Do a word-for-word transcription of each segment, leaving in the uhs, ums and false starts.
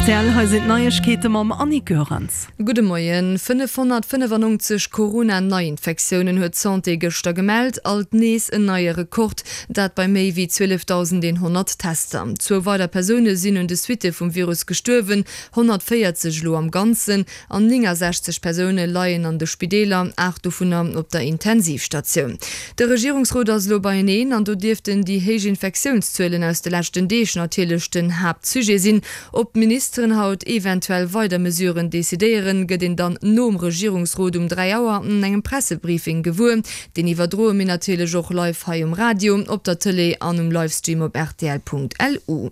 rtl, hei sinn d'Neiegkeete mam Annick Goerens. Gudde Moien. fënnefhonnertfënnefannonzeg Corona-Neiinfektiounen huet d'Santé gëschter gemellt, alt nees en neie Rekord, dat bei méi wéi zwielefdausendeenhonnert Tester. Zwou weider Persoune sinn un de Suitte vum Virus gestuerwen, honnertvéierzeg elo am Ganzen, an néngasechzeg Persoune leien an de Spideeler, aacht dovunner op der Intensivstatioun. De Regierungsrot ass elo beieneen an do dierften déi héich Infektiounszuelen aus de leschten Deeg natierlech den Haaptsujet sinn. Ob d'Ministeren haut eventuell weider Mesuren decidéieren, gëtt een dann nom Regierungsrot um dräi Auer an engem Pressebriefing gewuer. Deen iwwerdroe mir natierlech och live hei um Radio, op der Tëlee an um Livestream op rtl.lu.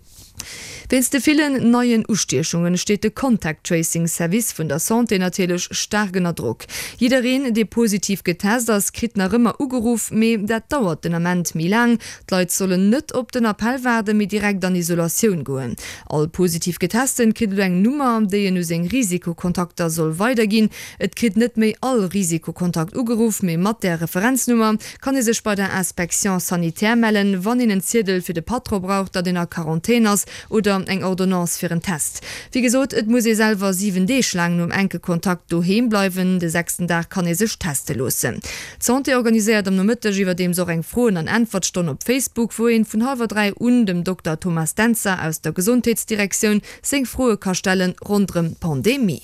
Wéinst de villen neien Ustiechungen steet de Contact Tracing Service vun der Santé natierlech staark ënner Drock. Jiddereen, dee positiv getest ass, kritt nach ëmmer ugeruff, mee dat dauert den Ament méi laang. D'Leit sollen net op den Appell waarden, mee direkt an Isolatioun goen. All positiv Getesten kritt elo eng Nummer, déi en u seng Risikokontakter soll weiderginn. Et kritt net méi all Risikokontakt ugeruff, mee mat där Referenznummer kann ee sech bei der Inspection sanitaire mellen, wann een en Ziedel fir de Patron brauch, datt een a Quarantän ass oder eng Ordonnance fir en Test. Wéi gesot, et muss ee selwer siwen Deeg laang nom enke Kontakt doheem bleiwen. De sechsten Dag kann ee sech teste loossen. D'Santé organiséiert am Nomëtteg iwwerdeems och eng Froen an Äntwertstonn op Facebook, wou een vun hallwer dräi un dem Dokter Thomas Dentzer aus der Gesondheetsdirektioun seng Froe ka stellen ronderëm d'Pandemie.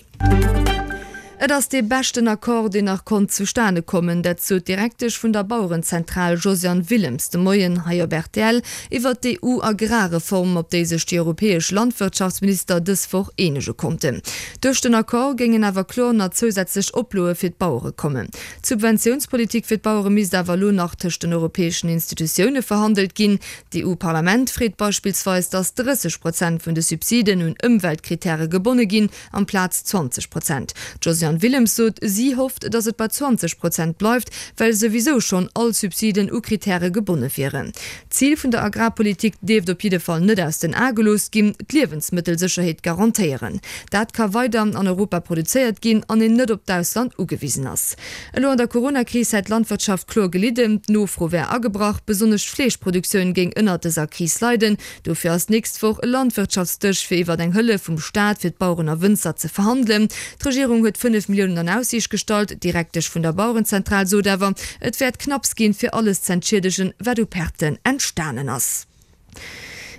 Et ass dee beschten Accord, deen nach konnt zustane kommen, dat sot d'Direktesch vun der Bauerenzentral Josiane Willems de Moien hei op rtl iwwert d'EU-Agrarreform, op déi sech déi europäesch Landwirtschaftsminister dës Woch eenege konnten. Duerch den Accord géingen awer kloer nach zousätzlech Oploe fir d'Bauere kommen. D'Subventiounspolitik fir d'Bauere misst awer elo nach tëscht den europäeschen Institutioune verhandelt ginn. D'EU-Parlament freet beispillsweis, datt drësseg Prozent vun de Subsiden un Ëmweltkrittäre gebonne ginn, amplaz zwanzeg Prozent. D'Josiane Willems sot, si hofft, datt et bei zwanzeg Prozent bleift, well souwisou schonn all Subsiden u Krittäre gebonne wieren. D'Zil vun der Agrarpolitik dierft op jidde Fall net aus den Ae gelooss ginn, d'Liewensmëttelsécherheet garantéieren. Dat ka weider an Europa produzéiert ginn an een net op d'Ausland ugewisen ass. Elo an der Coronakris hätt d'Landwirtschaft kloer gelidden, d'Nofro wär agebrach, besonnesch d'Fleeschproduktioun géing ënnert dëser Kris leiden. Dofir ass d'nächst Woch e Landwirtschaftsdësch fir iwwert eng Hëllef vum Staat fir d'Baueren a Wënzer ze verhandelen. D'Regierung huet fënnef Milliounen an Aussiicht gestallt. D'Direktesch vun der Bauerenzentral sot awer, et wäert knapps ginn, fir alles z'entschiedegen, wat u Perten entstanen ass.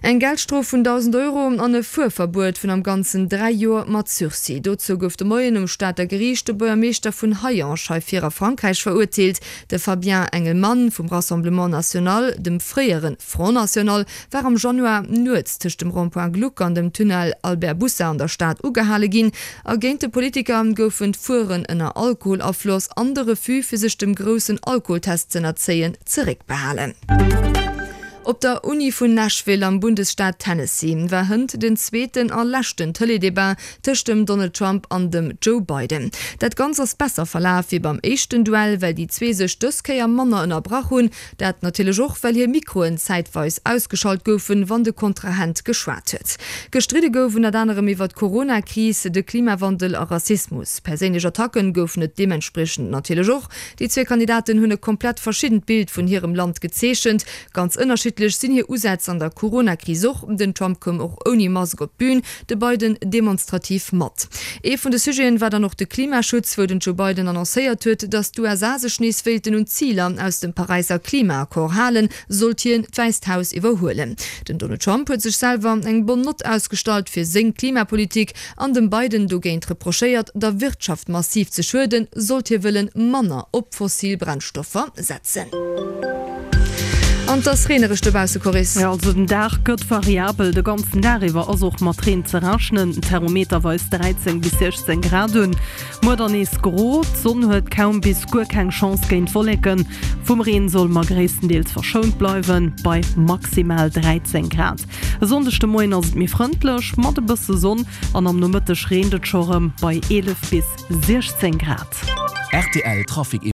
Eng Geldstrof vun dausend Euro an e Fuerverbuet vun am Ganzen dräi Joer mat Sursis. Dozou gouf de Moien um Stater Geriicht de Buergermeeschter vun Hayange hei vir a Frankräich verurteelt. De Fabien Engelmann vum Rassemblement National, dem fréiere Front National, war am Januar nuets tëscht dem Rond-point Gluck an dem Tunnel Albert Boussa an der Stad ugehale ginn. A géint de Politiker goufen d'Fueren ënner Alkoholafloss an de Refus fir sech dem groussen Alkoholtest z'ënnerzéien zeréckbehalen. Op der Uni vun Nashville am Bundesstaat Tennessee war hënt den zweeten a leschten Tëlee-Debat tëscht dem Donald Trump an dem Joe Biden. Dat Ganz ass besser verlaf wéi beim éischten Duell, well déi zwee sech dës Kéier manner ënnerbrach hunn. Dat natierlech och, well hir Mikroen zäitweis ausgeschalt goufen, wann de Kontrahent geschwat huet. Gestridde gouf ënnert anerem iwwer d'Corona-Kris, de Klimawandel a Rassismus. Perséinlech Attacken goufen et deementspriechend natierlech och. Déi zwee Kandidaten hunn e komplett verschiddent Bild vun hirem Land gezeechent. Ganz ënnerschiddlech sinn hir Usätz an der Corona-Kris och. Den Trump koum och ouni Mask op d'Bün, de Biden demonstrativ mat. Ee vun de Sujeten war dann och de Klimaschutz, wou den Joe Biden annoncéiert huet, datt d'USA sech nees wéilten un d'Ziler aus dem Paräisser Klimaaccord halen, sollt hien d'Wäisst Haus iwwerhuelen. Den Donald Trump huet sech selwer eng bonne Nott ausgestallt fir seng Klimapolitik an dem Biden dogéint reprochéiert, der Wirtschaft massiv ze schueden, sollt hie wëllen manner op fossil Brennstoffer setzen. An 't ass reenereg dobausse, Coris. Jo, also den Dag gëtt variabel, de ganzen Dag iwwer ass och mat Reen ze rechnen. Den Thermometer weist dräizéng bis siechzéng Grad un. Muer dann nees gro, d'Sonn huet kaum bis guer keng Chance géint d'Wolleken. Vum Reen solle mer gréisstendeels verschount bleiwen, bei maximal dräizéng Grad. E Sonndeg de Moien ass et méi frëndlech mat e bësse Sonn an am Nomëtteg reent et scho rëm bei eelef bis siechzéng Grad. Rtl Trafic.